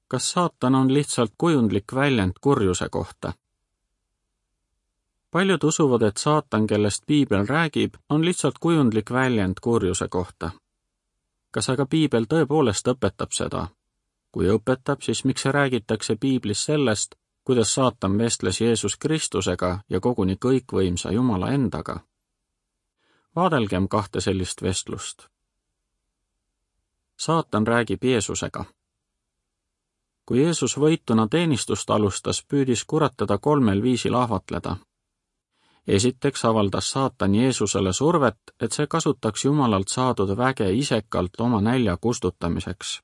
kas saatan on lihtsalt kujundlik väljend kurjuse kohta? Paljud usuvad, et saatan, kellest Piibel räägib, on lihtsalt kujundlik väljend kurjuse kohta. Kas aga Piibel tõepoolest õpetab seda? Kui õpetab, siis miks räägitakse Piiblis sellest, kuidas saatan vestles Jeesus Kristusega ja koguni kõikvõimsa Jumala endaga? Vaadelgem kahte sellist vestlust. Saatan räägib Jeesusega. Kui Jeesus võituna teenistust alustas, püüdis kurat teda 3 viisil ahvatleda. Esiteks avaldas saatan Jeesusele survet, et see kasutaks Jumalalt saadud väge isekalt oma nälja kustutamiseks.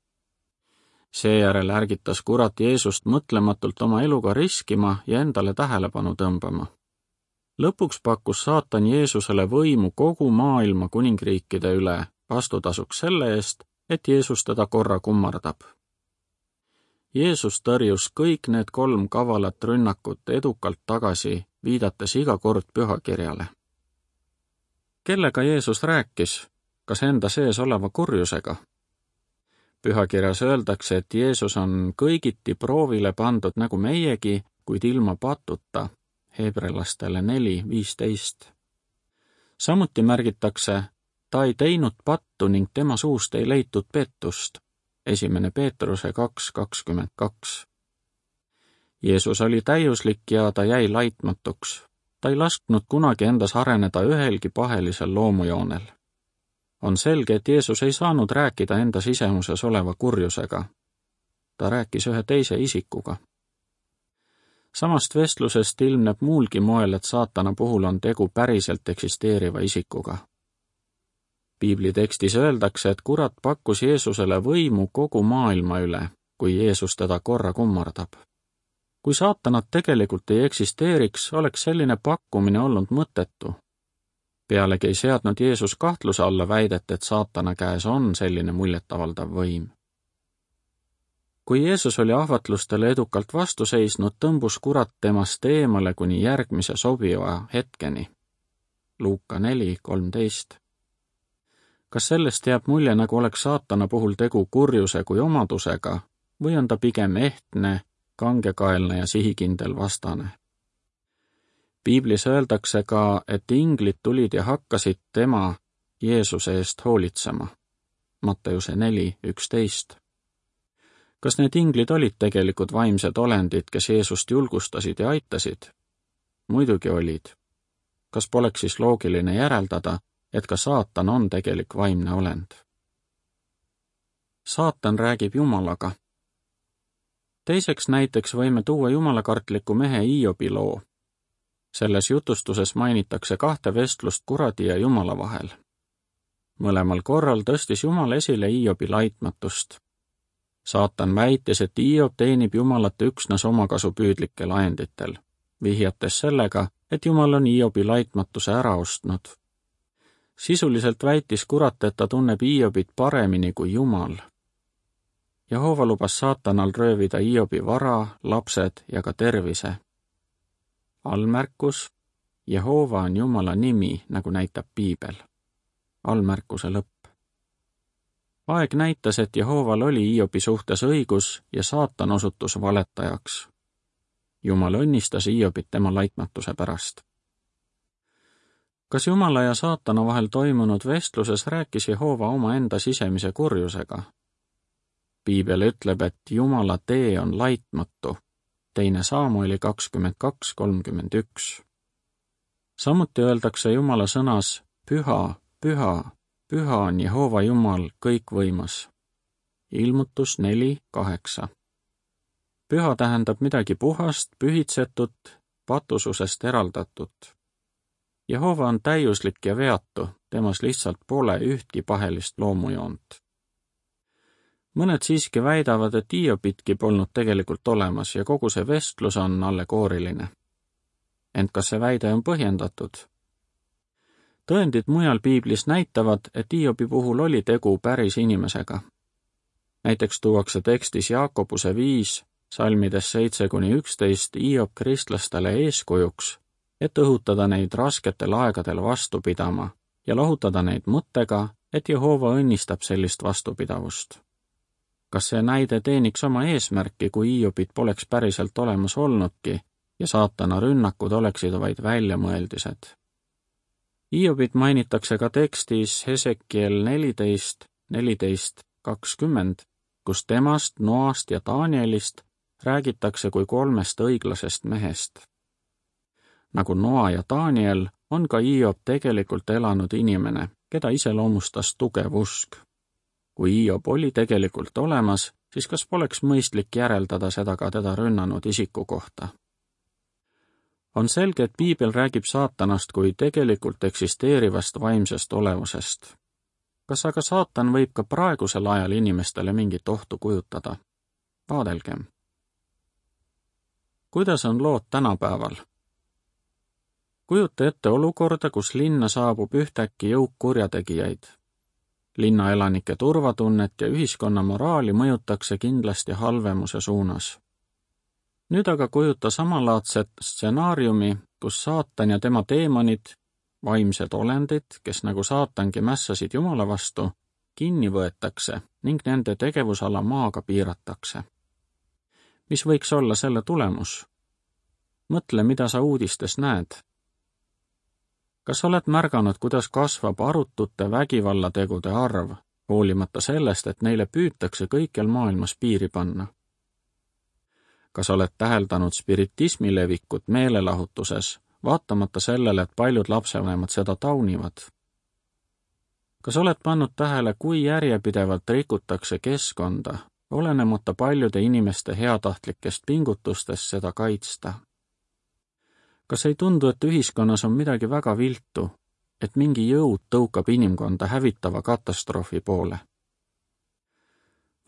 Seejärel ärgitas kurat Jeesust mõtlematult oma eluga riskima ja endale tähelepanu tõmbama. Lõpuks pakkus saatan Jeesusele võimu kogu maailma kuningriikide üle vastutasuks selle eest, et Jeesus teda korra kummardab. Jeesus tõrjus kõik need 3 kavalat rünnakut edukalt tagasi, viidates iga kord pühakirjale. Kellega Jeesus rääkis? Kas enda sees oleva kurjusega? Pühakirjas öeldakse, et Jeesus on kõigiti proovile pandud nagu meiegi, kuid ilma patuta, Hebrelastele 4:15. Samuti märgitakse, ta ei teinud pattu ning tema suust ei leitud pettust, 1. Peetruse 2:22. Jeesus oli täiuslik ja ta jäi laitmatuks. Ta ei lasknud kunagi endas areneda ühelgi pahelisel loomujoonel. On selge, et Jeesus ei saanud rääkida enda sisemuses oleva kurjusega. Ta rääkis ühe teise isikuga. Samast vestlusest ilmneb muulgi moel, et saatana puhul on tegu päriselt eksisteeriva isikuga. Piibli tekstis öeldakse, et kurat pakkus Jeesusele võimu kogu maailma üle, kui Jeesus teda korra kummardab. Kui saatanat tegelikult ei eksisteeriks, oleks selline pakkumine olnud mõttetu. Pealegi ei seadnud Jeesus kahtluse alla väidet, et saatana käes on selline muljetavaldav võim. Kui Jeesus oli ahvatlustele edukalt vastu seisnud, tõmbus kurat temast eemale kuni järgmise sobiva hetkeni. Luuka 4:13. Kas sellest jääb mulje, nagu oleks saatana puhul tegu kurjuse kui omadusega, või on ta pigem ehtne, kangekaelne ja sihikindel vastane? Piiblis öeldakse ka, et inglid tulid ja hakkasid tema, Jeesuse eest hoolitsema. Matteuse 4:11. Kas need inglid olid tegelikult vaimsed olendid, kes Jeesust julgustasid ja aitasid? Muidugi olid. Kas poleks siis loogiline järeldada, et ka saatan on tegelik vaimne olend? Saatan räägib Jumalaga. Teiseks näiteks võime tuua jumalakartliku mehe Hiobi loo. Selles jutustuses mainitakse 2 vestlust kuradi ja Jumala vahel. Mõlemal korral tõstis Jumal esile Hiobi laitmatust. Saatan väitis, et Hiob teenib Jumalat üksnes omakasupüüdlikel ajenditel, vihjates sellega, et Jumal on Hiobi laitmatuse ära ostnud. Sisuliselt väitis kurat, et ta tunneb Hiobit paremini kui Jumal. Jehova lubas saatanal röövida Hiobi vara, lapsed ja ka tervise. Allmärkus: Jehova on Jumala nimi, nagu näitab Piibel. Allmärkuse lõpp. Aeg näitas, et Jehoval oli Hiobi suhtes õigus ja saatan osutus valetajaks. Jumal õnnistas Hiobit tema laitmatuse pärast. Kas Jumala ja saatana vahel toimunud vestluses rääkis Jehova omaenda sisemise kurjusega? Piibel ütleb, et Jumala tee on laitmatu, 2. Saamueli 22:31. Samuti öeldakse Jumala sõnas püha, püha, püha on Jehova Jumal kõikvõimas. Ilmutus 4:8. Püha tähendab midagi puhast, pühitsetut, patususest eraldatut. Jehova on täiuslik ja veatu, temas lihtsalt pole ühtki pahelist loomujoont. Mõned siiski väidavad, et Hiobitki polnud tegelikult olemas ja kogu see vestlus on allegooriline. Ent kas see väide on põhjendatud? Tõendid mujal Piiblis näitavad, et Hiobi puhul oli tegu päris inimesega. Näiteks tuuakse tekstis Jaakobuse 5, salmides 7-11 Hiob kristlastele eeskujuks, et õhutada neid rasketel aegadel vastu pidama ja lohutada neid mõttega, et Jehova õnnistab sellist vastupidavust. kas see näide teeniks oma eesmärki, kui Hiiobit poleks päriselt olemas olnudki ja saatana rünnakud oleksid vaid väljamõeldised? Hiiobit mainitakse ka tekstis Hesekiel 14:20, kus temast, Noast ja Danielist räägitakse kui 3 õiglasest mehest. Nagu Noa ja Daniel, on ka Hiob tegelikult elanud inimene, keda iseloomustas tugev usk. Kui Hiob oli tegelikult olemas, siis kas poleks mõistlik järeldada seda ka teda rünnanud isiku kohta? On selge, et piibel räägib saatanast kui tegelikult eksisteerivast vaimsest olevusest. Kas aga saatan võib ka praegusel ajal inimestele mingit ohtu kujutada? Vaadelgem. Kuidas on lood tänapäeval? Kujuta ette olukorda, kus linna saabub ühtäkki jõuk kurjategijaid. Linnaelanike turvatunnet ja ühiskonna moraali mõjutakse kindlasti halvemuse suunas. Nüüd aga kujuta samalaadset stsenaariumi, kus saatan ja tema teemonid, vaimsed olendid, kes nagu saatangi mässasid Jumala vastu, kinni võetakse ning nende tegevusala maaga piiratakse. Mis võiks olla selle tulemus? Mõtle, mida sa uudistes näed. Kas oled märganud, kuidas kasvab arutute vägivallategude arv, hoolimata sellest, et neile püütakse kõikjal maailmas piiri panna? Kas oled täheldanud spiritismi levikut meelelahutuses, vaatamata sellele, et paljud lapsevanemad seda taunivad? Kas oled pannud tähele, kui järjepidevalt rikutakse keskkonda, olenemata paljude inimeste heatahtlikest pingutustest seda kaitsta? Kas ei tundu, et ühiskonnas on midagi väga viltu, et mingi jõud tõukab inimkonda hävitava katastroofi poole?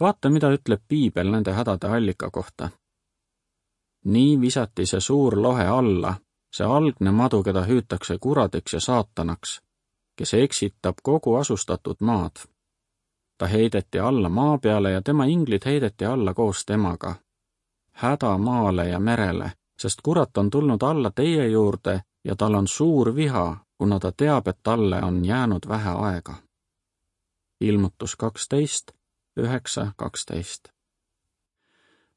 Vaata, mida ütleb piibel nende hädade allika kohta. Nii visati see suur lohe alla, see algne madu, keda hüütakse kuradiks ja saatanaks, kes eksitab kogu asustatud maad. Ta heideti alla maa peale ja tema inglid heideti alla koos temaga. Häda maale ja merele, sest kurat on tulnud alla teie juurde ja tal on suur viha, kuna ta teab, et talle on jäänud vähe aega. Ilmutus 12:9-12.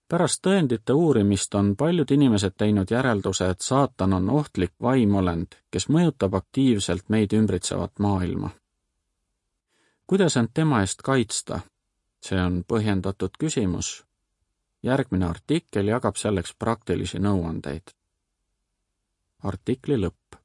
Pärast tõendite uurimist on paljud inimesed teinud järelduse, et saatan on ohtlik vaimolend, kes mõjutab aktiivselt meid ümbritsevat maailma. Kuidas end tema eest kaitsta? See on põhjendatud küsimus. Järgmine artikkel jagab selleks praktilisi nõuandeid. Artikli lõpp.